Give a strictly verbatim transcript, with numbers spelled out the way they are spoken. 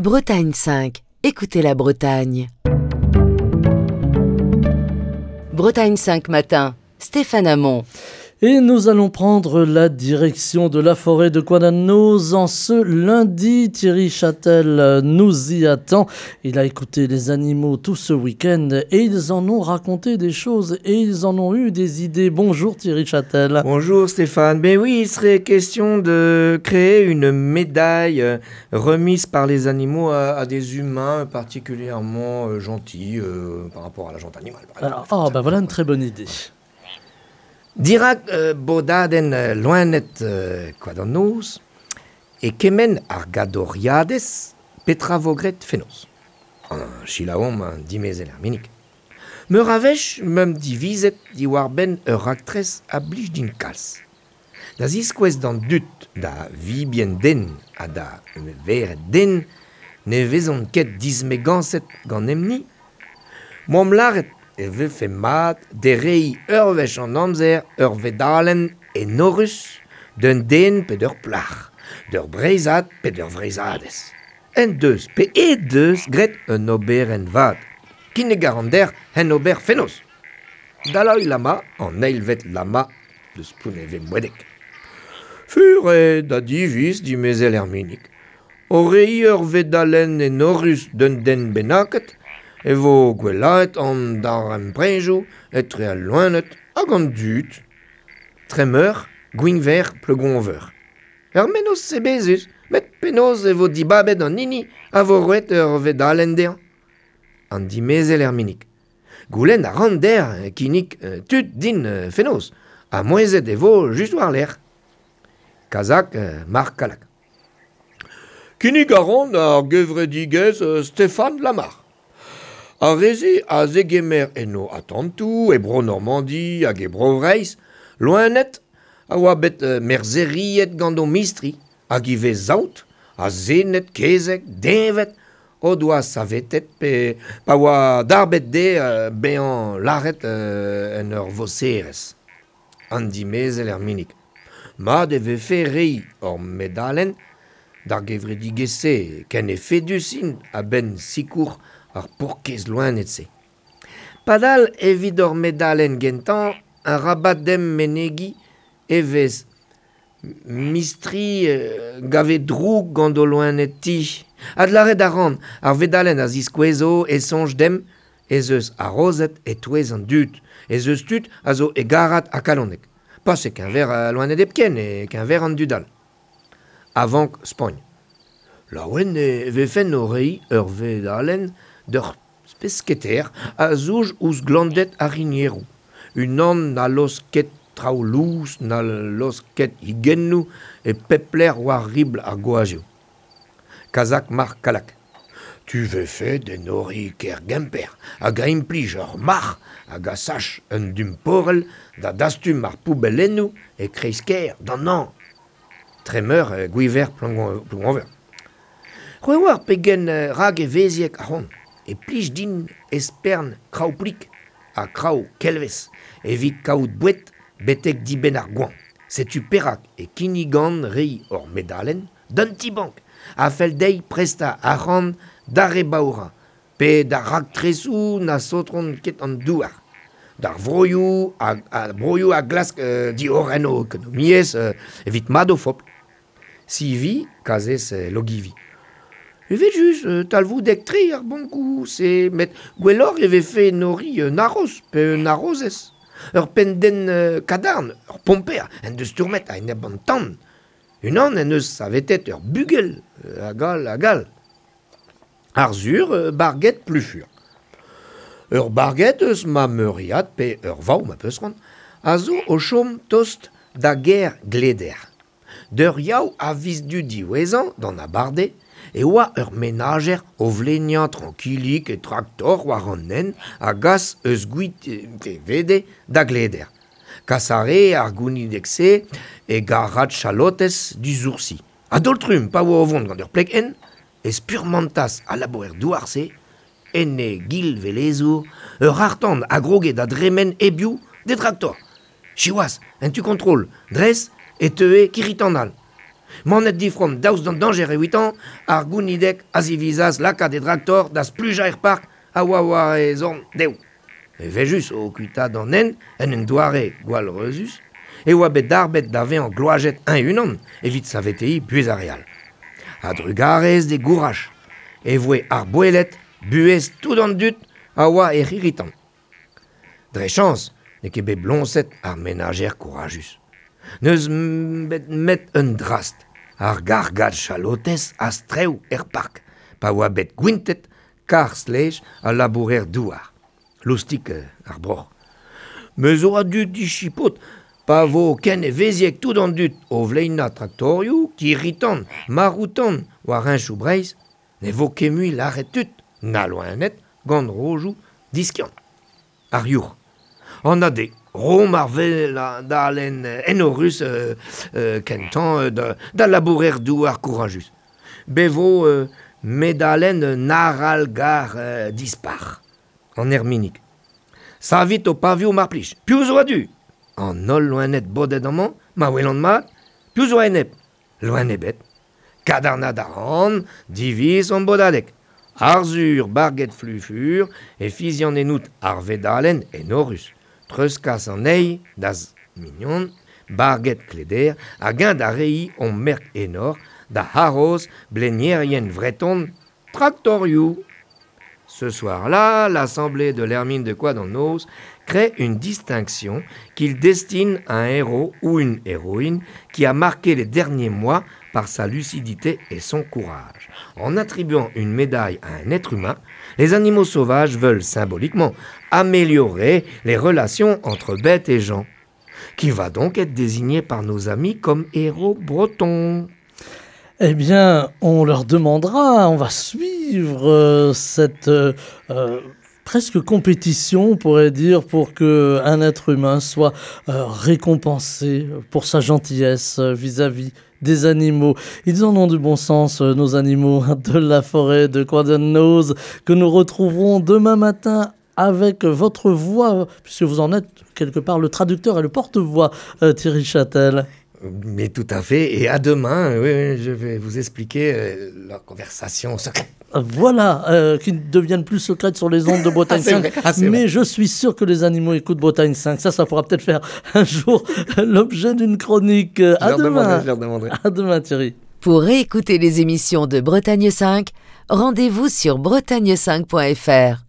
Bretagne cinq, écoutez la Bretagne. Bretagne cinq matin, Stéphane Hamon. Et nous allons prendre la direction de la forêt de Koad-an-Noz en ce lundi. Thierry Châtel nous y attend. Il a écouté les animaux tout ce week-end et ils en ont raconté des choses et ils en ont eu des idées. Bonjour Thierry Châtel. Bonjour Stéphane. Ben oui, il serait question de créer une médaille remise par les animaux à, à des humains particulièrement gentils euh, par rapport à la gente animale. Alors, oh, ben voilà une très bonne idée. Dirak euh, bodadenn euh, loened euh, Koad-an-Noz e kemenn ar gadoriadez petra vo graet fenoz. An chilaom an dimezel ar minik. Meur a wech meump divizet diwar-benn ur raktres a blij din kalz. Da ziskouez d'an dud da vibien den ha da vered den ne vezont ket dismegañset gant emni. Moamp lâret e vefe mat dereiñ ur wech an amzer ur vedalenn enorus d'un den pe d'ur plac'h, d'ur breizhad pe d'ur vreizhadez. En deus pe e deus graet un oberenn vat. Kinnig a ran deoc'h hen ober fenoz. Dalai Lama an eilvet lama deus Plounevez-Moedeg. Fur eo da diviz dimezel er minig. O reiñ ur vedalenn enorus d'un den bennaket, e vo gwellaet an darempredoù etre al loened hag an dud. Tremeur, Gwinver, Plougonveur. Ur mennozh sebezus, met penaos e vo dibabet an hini a vo roet ur vedalenn dezhañ. An dimezel er minig. Goulenn a ran deoc'h kinnig tud din fenoz, ha mouezhet e vo just war-lerc'h. Kazak, Marc Kalak. Kinnig a ran ar gevredigezh Stéphane Lamar. Ar re-se a zegemer eno atantoù e Bro-Normandi hag e Bro-Vreizh, loened a oa bet merzheriet gant o mistri, hag ivez saout, azened, kezeg, deñved, o doa savetet pe pa oa darbet dezhe bezañ lâret en ur voserez. An dimezel er minig. Mat e vefe reiñ ur medalenn d'ar gevredigezh-se ken efedus int a-benn sikour ar paourkaezh loened-se. Padal evit ur medalenn gentañ, arabat demp menegiñ e vez mistri gave droug gant o loened-ti. Adlâret a ran, ar vedalenn a ziskouezo e soñj demp ez eus arozet e-touez an dud, ez eus tud a zo hegarat ha kalonek. Pas e keñver loened hepken, e keñver an dud all. Avank Spagn. Laouen e vefen o reiñ ur vedalenn d'ur pesketer a zouj ouzh glanded ar rinieroù. Unan na laosk ket traoù lous, na laosk ket higennoù e pep lec'h war ribl ar gwazhioù. Kazak Marc Kalak. Tu vefe d'enoriñ kêr Gemper hag a implij ur marc'h hag a sach un dumporell da dastum ar poubellennoù e kreiz-kêr d'an hañv. Tremeur Gwiver Plougonveur. C'hwi oar pegen rak evezhiek a ran. E plij din espern kraou-plik ha kraou kelvez evit kaout boued betek dibenn ar goañv. Setu perak e kinnigan reiñ ur medalenn d'un ti-bank a fell dezhi prestañ arc'hant d'ar re baourañ pe d'ar raktresoù na saotront ket an douar. D'ar vroioù hag ar broioù a glask euh, diorren o ekonomiezh euh, evit mat o fobl. Sivi, kazez euh, Logivi. Evel-just, euh, talvoudek-tre ar bankoù-se, met gwelloc'h e vefe enoriñ un haroz pe un harozez. Ur penn-den euh, kadarn, ur pomper, en deus stourmet a-enep an tan. Unan en deus savetet ur bugel, euh, hag all, hag all. Arzur, euh, barget Plufur. Ur barget eus ma meuriad pe ur vaou ma peus c'hoant, a zo o chom tost da gêr Gleder. D'ur yaou a viz du diwezhañ d'an abardaez, e oa ur menajer o vleniañ trankilik e traktor war an hent a gas eus Gwitevede da Gleder. Kas a re ar gounideg-se e garrad chalotez disoursi. A-daol-trumm, pa oa o vont gant ur pleg-hent, e spurmantas al labourer douar-se, en e gil velezour, ur c'harr-tan a groge da dremen hebiou d'e draktor. Siwazh, en tu kontrol, dres e teue kirri-tan all. Manet difrom daoust d'an dañjer evitañ, ar gounideg a zivizas lakaat e draktor da splujañ er park a oa war e zorn dehoù. Evel-just o kuitaat an hent en un doare gwallreuzus, e oa bet darbet da vezañ gloazet eñ-unan evit saveteiñ buhez ar re all. A-drugarez d'e gouraj e voe arboellet buhez tout an dud a oa er c'hirri-tan. Dre chañs n'eo ket bet bloñset ar menajer kourajus. N'eus bet met un drast, ar gargad chalotez a-strew er park, pa oa bet gwintet karr-stlej al labourer-douar. Loustik ar broc'h. Me zo a-du dichipot, pa vo ken evezhiek tout an dud o vleinañ traktorioù, kirri-tan, marroù-tan war henchoù Breizh, ne vo ket mui lâret tud, na loened, gant rojoù diskiant. Ar yourc'h. An ade, Rom ar vedalenn enorus euh, euh, kentañ euh, da, da labourer douar kourajus. Be vo euh, medalenn arallgar euh, dispar. An erminig. Savit ho pavioù mar plij. Piv zo a-du? An holl loened bodet amañ, ma welan mat, piv zo a-enep? Loen ebet. Kadarnaat a ran, diviz an bodadeg. Arzhur Barget Flufur e fizian ennout ar vedalenn enorus. Treuzkas anezhi da'z mignon, Barget Kleder, hag eñ da reiñ hon merk enor da haroz blenierien vreton traktorioù. Ce soir-là, l'assemblée de l'Hermine de Koad an Noz crée une distinction qu'il destine à un héros ou une héroïne qui a marqué les derniers mois par sa lucidité et son courage. En attribuant une médaille à un être humain, les animaux sauvages veulent symboliquement améliorer les relations entre bêtes et gens, qui va donc être désigné par nos amis comme héros breton. Eh bien, on leur demandera, on va suivre euh, cette euh, euh, presque compétition, on pourrait dire, pour que un être humain soit euh, récompensé pour sa gentillesse euh, vis-à-vis des animaux. Ils en ont du bon sens, euh, nos animaux de la forêt de Koad an Noz, que nous retrouverons demain matin avec votre voix, puisque vous en êtes quelque part le traducteur et le porte-voix, euh, Thierry Châtel. Mais tout à fait, et à demain, oui, oui, je vais vous expliquer euh, la conversation secrète. Voilà, euh, qui ne deviennent plus secrètes sur les ondes de Bretagne Ah, c'est cinq. vrai, ah, c'est Mais vrai. je suis sûr que les animaux écoutent Bretagne cinq. Ça, ça pourra peut-être faire un jour l'objet d'une chronique. Je À leur demanderai, demain. je leur demanderai. À demain, Thierry. Pour réécouter les émissions de Bretagne cinq, rendez-vous sur bretagne cinq point F R.